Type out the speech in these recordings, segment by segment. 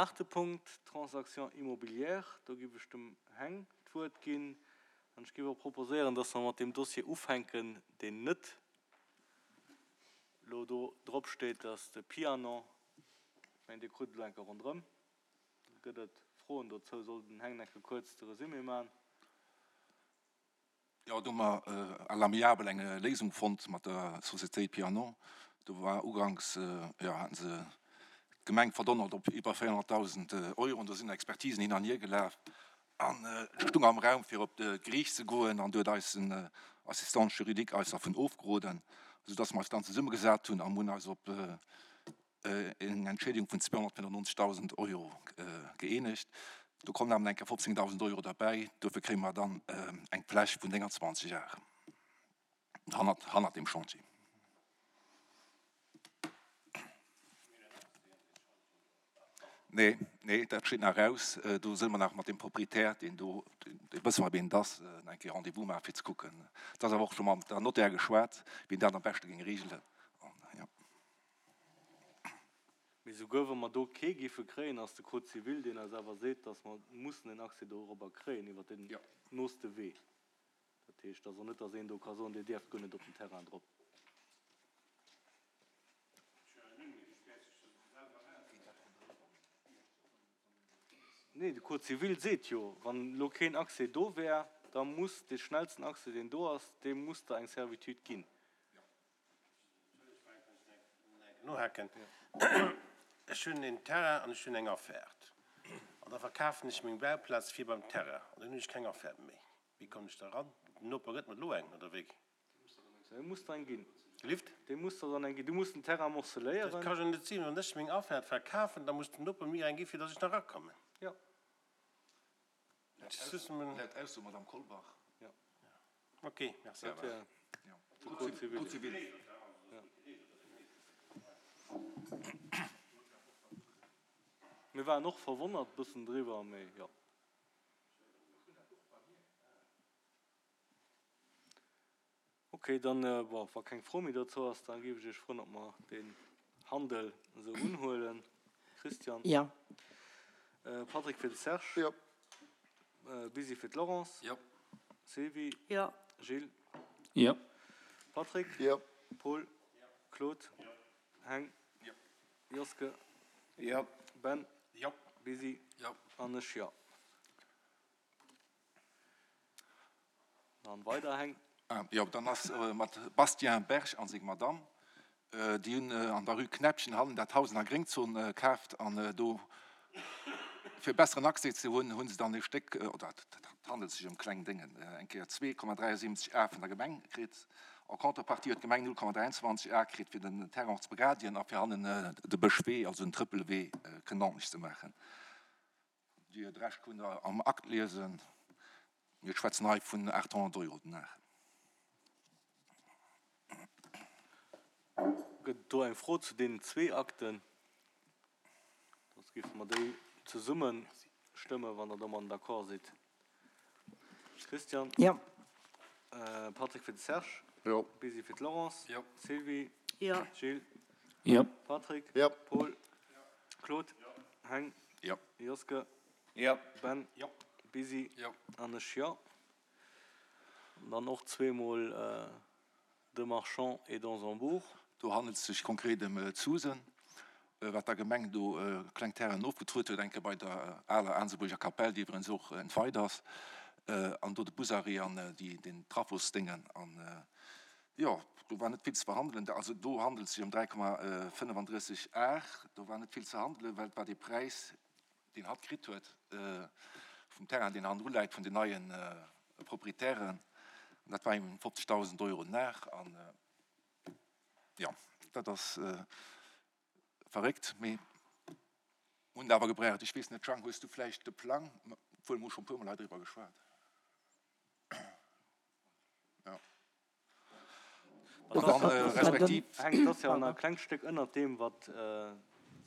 Aachte Punkt, Transactions immobilières. Do giff ech dem Heng d'Wuert ginn. An ech giff och proposéieren, dass mer mat deem Dossier ufänken, deen net elo do drop steet, dass de Pianon. Ech mengen, Dir krut et elo eng Kéier ronderëm. Gëtt et Froen dozou? Soll den Heng eng Kéier kuerz de Resumé maachen? Jo, do hu mer à l'amiable eng Léisung fonnt mat der Société Pianon. Do war uganks, jo, haten se d'Gemeng verdonnert op iwwer 400.000 Euro an do sinn Expertisen hin an hier gelaf an et stung am Raum fir op d'Geriicht ze goen an do huet eisen Assistant juridique eis dervun ofgeroden, soudass mer eis dann zesummegesat hunn a mer hunn eis op eng Entschädigung vun 295.000 Euro gëeenegt. Do kommen awer nach eng Kéier 15.000 Euro derbäi. Dofir kréie mer dann eng Fläch vun 29 Ar hannert, hannert dem Chantier. Nee, nee, dat steet nach aus. Do sënn mer nach mat dem Proprietär, deen do, dee wësse mer, wien et ass, nach eng Kéier Rendez-vous maachen, fir ze kucken. Et ass awer och scho mam der Notaire geschwat, wien dat am beschte géing regelen. An, jo. Mee souguer wa mer do kee géife kréien, ass de Code civil, deen eis awer seet, dass mer mussen en Accès dorobber kréien iwwert den nooste Wee. Dat heescht also net, dass een do ka soen, Dir dierft guer net op den Terrain drop. Nee, de Code civil seet jo, wann elo keen Accès do wär, da muss dee schnellsten Accès, deen do ass, deem muss Der eng Servitude ginn. Nohaken. Ech hunn en Terrain an ech hunn eng Offerte. An da verkafen ech meng Bauplaz fir beim Terrain an dann hunn ech keng Offerte méi. Wéi kommen ech da ran? Den Noper gëtt mer elo eng, oder wéi? Dee muss der eng ginn. Gelift? Dee muss der dann eng ginn. Du muss den Terrain morceléieren. Dat ka jo net sinn. Wann ech meng Offerte verkafen, da muss den Noper mir eng gi fir datt ech nach erakommen. Jo. Laut Ausso Madame Kolbach. Jo. Ok, merci. Dat wär de Code civil. Code civil. Mir waren och verwonnert bëssen driwwer, mee jo. Ok, dann, bon, wa keng Fro méi dozou ass, da géif ech Iech froen, ob mer deen Handel esou unhuelen. Christian? Jo. Patrick fir de Serge? Jo. Busy fir d'Laurence? Jo. Sylvie? Jo. Gilles? Jo. Patrick? Jo. Paul? Claude? Heng? Jo. Joske? Jo. Ben? Jo. Busy? Jo. An ech jo. Dann weider Heng. Jo, dann ass mat Bastien Berg a seng Madamm, déi hunn an der Rue Kneppchen hannen dat Haus an der Gréngzon kaaft an do fir besseren Accès ze hunn, hu se dann e Stéck, oder et handelt sech ëm kleng Déngen, eng Kéier 2,73 Ar vun der Gemeng kritt. En contrepartie huet d'Gemeng 0,23 Ar kritt fir den Terrain och ze begradien a fir hannen de Bëschwee, also den Trëppelwee, kënnen ordentlech ze maachen. Dir de Rescht kënnt Der am Akt liesen. Mir schwätzen hei vun 800 Euro den Ar. Gëtt et do eng Fro zu deenen zwee Akten? Soss géife mer déi zesumme stëmmen, wann Der domadden d'accord sidd. Christian? Jo. Patrick fir de Serge? Jo. Busy fir d'Laurence? Jo. Sylvie? Jo. Gilles? Jo. Patrick? Jo. Paul? Claude? Heng? Jo. Joske? Jo. Ben? Jo. Busy? Jo. An ech jo. An dann och zweemol de Marchand et d'Ansembourg. Do handelt et sech konkret ëm d'Susen, wat der Gemeng do kleng Terrainen ofgetruet huet, eng Kéier bei der aler Aansebuerger Kapell, déi iwwerens och entweit ass, an do de Busarrêt an déi, den Trafosdéngen. An jo, do war net vill ze verhandelen. Also do handelt et sech ëm 3,35 Ar. Do war net vill ze handelen, well et war dee Präis, deen hatt kritt huet vum Terrain, deen hannendru läit, vun den neie Proprietären. An dat war ëm 50.000 Euro den Ar. An jo, dat ass verréckt, mee hunn et awer gebraucht. Ech weess net, Jang, hues du vläicht de Plang? Obwuel, mir hu scho e puermol hei driwwer geschwat. Jo. Respektiv. Heng, et ass jo nach e klengt Stéck ënnert deem, wat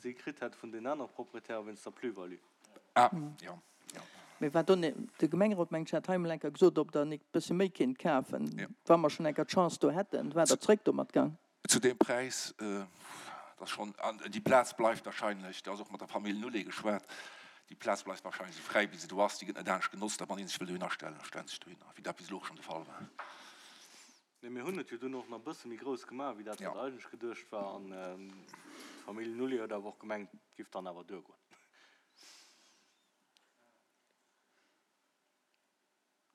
si kritt hätt vun den anere Proprietäre wéinst der Plus-value. Ah, jo, jo. Mee wat do, de Gemengerot mengt ech hat hei emol eng Kéier gesot, ob der nik bësse méi kinnt kafen, wa mer schonn eng Kéier d'Chance do hätten. Waart Der zréck domat gang? Zu deem Präis, dat. Dat ass schonn, an déi Plaz bleift wahrscheinlech, do ass och mat der Famill Nulé geschwat, déi Plaz bleift wahrscheinlech esou fräi wéi se do ass, déi gëtt net anescht genotzt a wann ee sech wëll dohinner stellen, da stellt sech dohinner, wéi dat bis elo och schonn de Fall war. Nee, mir hunn et jo dunn och nach e bësse méi grouss gemaach, wéi dat wat eigentlech geduecht war an d'Famill Nulé huet awer och gemengt, et giff dann awer duergoen.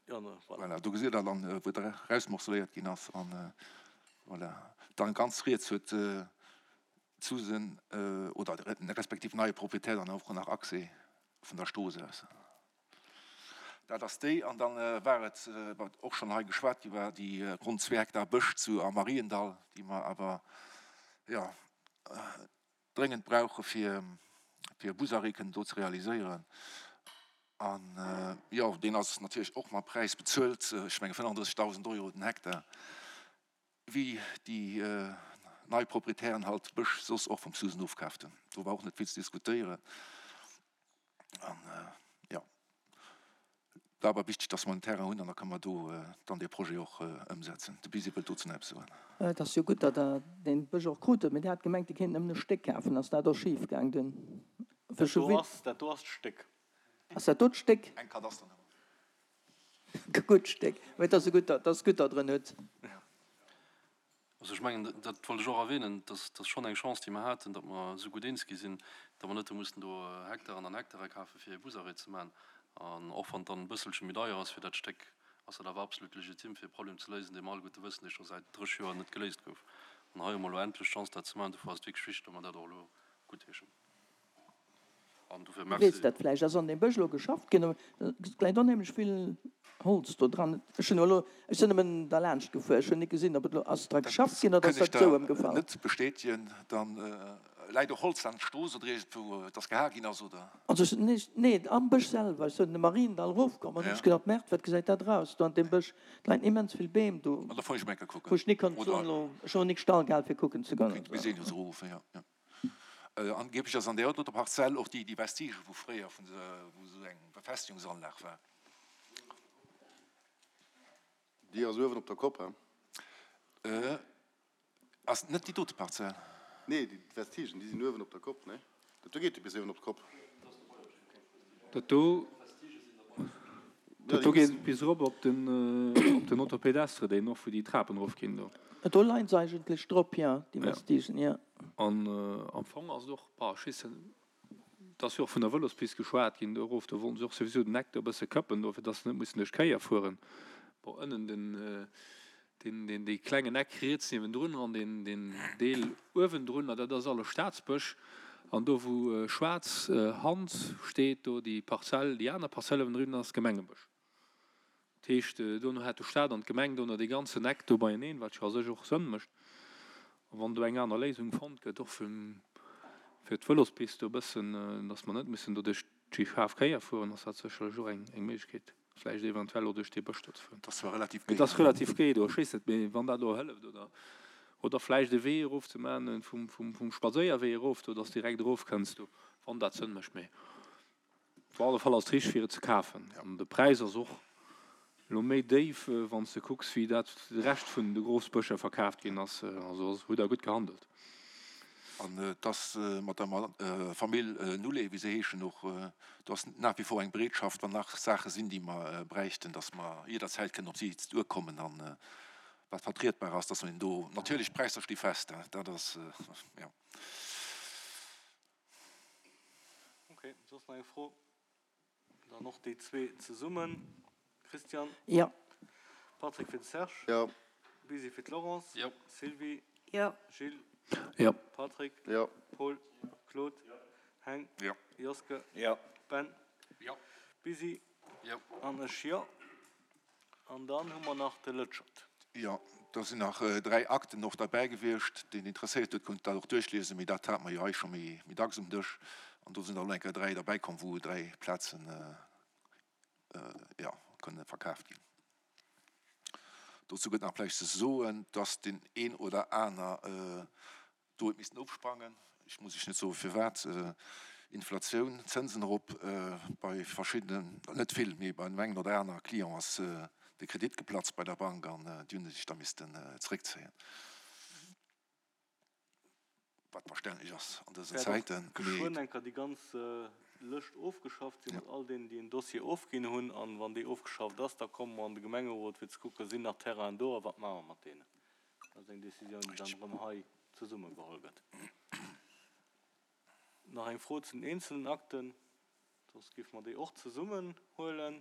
Voilà, do gesitt Der dann, wou et erausmorceléiert ginn ass. An voilà, dann ganz riets huet d'Susan oder respektiv neie Proprietär dann och nach Accès vun der Strooss aus. Dat ass déi. An dann war et, wat och schonn hei geschwat gi war, déi ronn zwee Hektar Bësch zu am Mariendall, déi mer awer, jo, dréngend brauche fir fir e Busarrêt kënnen do ze realiséieren. An jo, deen ass natierlech och mam Präis bezuelt, ech menge 35.000 Euro den Hektar, wéi déi nei Proprietären halt Bësch soss och vum Susan ofkaaft hunn. Do war och net vill ze diskutéieren. An jo, war awer wichteg, dass mer en Terrain hunn an da kënne mer do dann dee Projet och ëmsetzen. De Busy wëllt dozou nach eppes soen. Et ass jo gutt, datt Der dee Bësch och krut hutt, mee Dir hat gemengt, Dir kéint nëmmen e Stéck kafen. Ass dat och schif gaang dunn? Dat do ass, dat do ass d'Stéck. Ass dat do d'Stéck? Eng Kadasternummer. Gutt Stéck. Mee et ass jo gutt, datt gutt der drën hutt. Also ech mengen, dat wollt ech och erwähnen, dass ass schonn eng Chance, déi mer haten, datt mer esou gutt eens gi sinn, datt mer net hu mussen do Hektaren an Hektare kafe fir e Busarrêt ze maachen. An och wann et dann e bësselche méi deier ass fir dat Stéck, ass dat awer absolut legitim, fir e Problem ze léisen, dee mer alleguerte wëssen, dee scho säit 30 Joer net geléist gouf. An hei hu mer elo endlech d'Chance, dat ze maachen. Dofir ass et wierklech wichteg, datt mer dat och elo guttheeschen. An dofir Du weess merci. dat vläicht, ass an deem Bësch elo geschafft ginn, et läit onheemlech vill Holz do dran. Ech hunn elo, ech sinn nëmmen derlaanscht gefuer, ech hunn nik gesinn, ob et elo, ass dra geschafft ginn oder Kënn ass ech dat esou der ëmgefall? net bestätegen. Dann läit och Holz an Strooss oder iergendwou, et ass geha ginn ass, oder? Also ech, nee, nee, am Bësch selwer. Ech sinn de Mariendall erofkomm an hunn ech gedacht, Merde, wat gesäit dat eraus do an deem Bësch, et leien immens vill Beem do, An da fuer ech emol eng Kéier kucken, wou ech nik konnt oder? soen elo, ech hunn och nik Stall gehal fir kucken ze goen. Kéint d'Muséeën jo se ruffen, jo, jo. Angeblech ass an där doter Parzell och déi Vestige vu fréier, wou esou eng Befestigungsanlag war. Déi ass uewen op der Kopp, he? Ass net déi dote Parzell? Nee, déi Vestigen, déi sinn uewen op der Kopp, nee? Dat do geet jo bis uewen op d'Kopp. Dat do, dat do geet bis erop op den, op den Autopédestre, deen och, wou déi Trapen erofginn do. Do leien se eigentlech drop, jo, déi Vestigen, jo. An am Fong ass et och, bah, ech weess net, et ass jo och vun der Vëlospist geschwat ginn do erof, do wollten se och souwisou den Eck do e bësse këppen do, fir dass se net mussen duerch d'Kéier fueren. Bon, ënnen den, deen, deen, dee klengen Eck riets niewendrun an deen, deen Deel uewendrun, dat ass alles Staatsbësch. An do, wou schwaarz Hand steet, do déi Parzell, déi aner Parzell uewendrun ass Gemengebësch. Dat heescht, dono hat de Staat an d'Gemeng dono dee ganzen Eck do beieneen, wat jo a sech och Sënn mécht. A wann do eng aner Léisung fonnt gëtt, och fir d'Vëlospist do e bëssen, datt mer net mussen do duerch déi schaarf Kéier fueren, ass dat sécherlech och eng Méiglechkeet, vläicht eventuell och duerch dee Bësch do ze fueren. Dat ass zwar relativ géi. Et ass relativ géi do, ech weess net, mee wann dat elo hëlleft oder, oder vläicht e Wee erof ze maachen, vum Spadséierwee erof do, datt s direkt erofkënns do, wann dat Sënn mécht. Mee Op alle Fall ass et richteg fir et ze kafen an de Präis ass och elo méi déif wann s de kucks wéi dat de Rescht vun de Grosbëscher verkaaft ginn ass. Also hutt der gutt gehandelt. An et ass mat der Famill Nulé, wéi se heeschen, och do ass nach wie vor eng Bereetschaft, wann nach Saache sinn, déi mer bräichten, datt mer jidderzäit kënnen op si duerkommen an wat vertrietbar ass, datt mer hinnen do natierlech d'Präisser sti fest, dat ass jo. Ok, soss nach eng Fro? Dann och déi zwee zesummen. Christian? Jo. Patrick fir de Serge? Jo. Busy fir d'Laurence? Jo. Sylvie? Jo. Gilles? Jo. Patrick? Jo. Paul? Claude? Heng? Jo. Joske? Jo. Ben? Jo. Busy? Jo. An ech jo. An dann hu mer nach de Lëtschert. Jo, do sinn nach 3 Akten och derbäi gewiescht. Deen interesséiert huet, konnt dat och duerchliesen, mee dat hate mer jo hei scho méi dacks um Dësch. An do sinn der elo eng Kéier 3 derbäi komm, wou 3 Plazen, jo, kënne verkaaft ginn. Dozou gëtt nach vläicht ze soen, dass deen een oder aner Do huet missten ofsprangen. Ech muss Iech net soen, firwat. Inflatioun, Zënsen erop, bei verschiddenen, net vill, mee bei dem engen oder aner Client ass de Kredit geplatzt bei der Bank an déi hunn sech da missten zeréckzéien. Wat verständlech ass an dësen Zäiten. Wäert och geschwënn eng Kéier déi ganz Lëscht ofgeschafft sinn, mat all deenen, déi en Dossier ofginn hunn. An wann déi ofgeschafft ass, da komme mer an de Gemengerot, fir ze kucken, Sinn nach Terrainen do a wat maache mer mat deenen? Dat ass eng Décisioun, déi dann erëm hei zesumme geholl gëtt. Nach eng Fro zu den eenzelnen Akten, soss géife mer déi och zesummen huelen.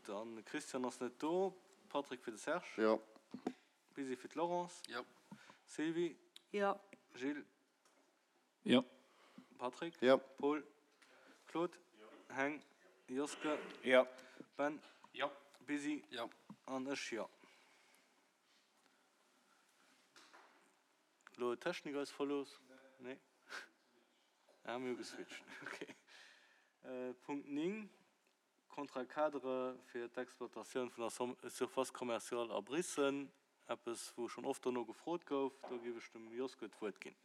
Dann, Christian ass net do, Patrick fir de Serge. Jo. Busy fir d'Laurence. Jo. Sylvie. Jo. Gilles. Jo. Patrick. Jo. Paul. Claude. Heng. Joske. Jo. Ben. Jo. Busy. Jo. An ech jo. Elo huet d'Technik eis verlooss. Nee. Ah, mir hu geswitcht. Okay. Punkt 9, Contrat cadre fir d'Exploitatioun vun der Surface commerciale a Biissen, eppes wou schonn oft dono gefrot gouf. Do géif ech dem Joske d'Wuert ginn.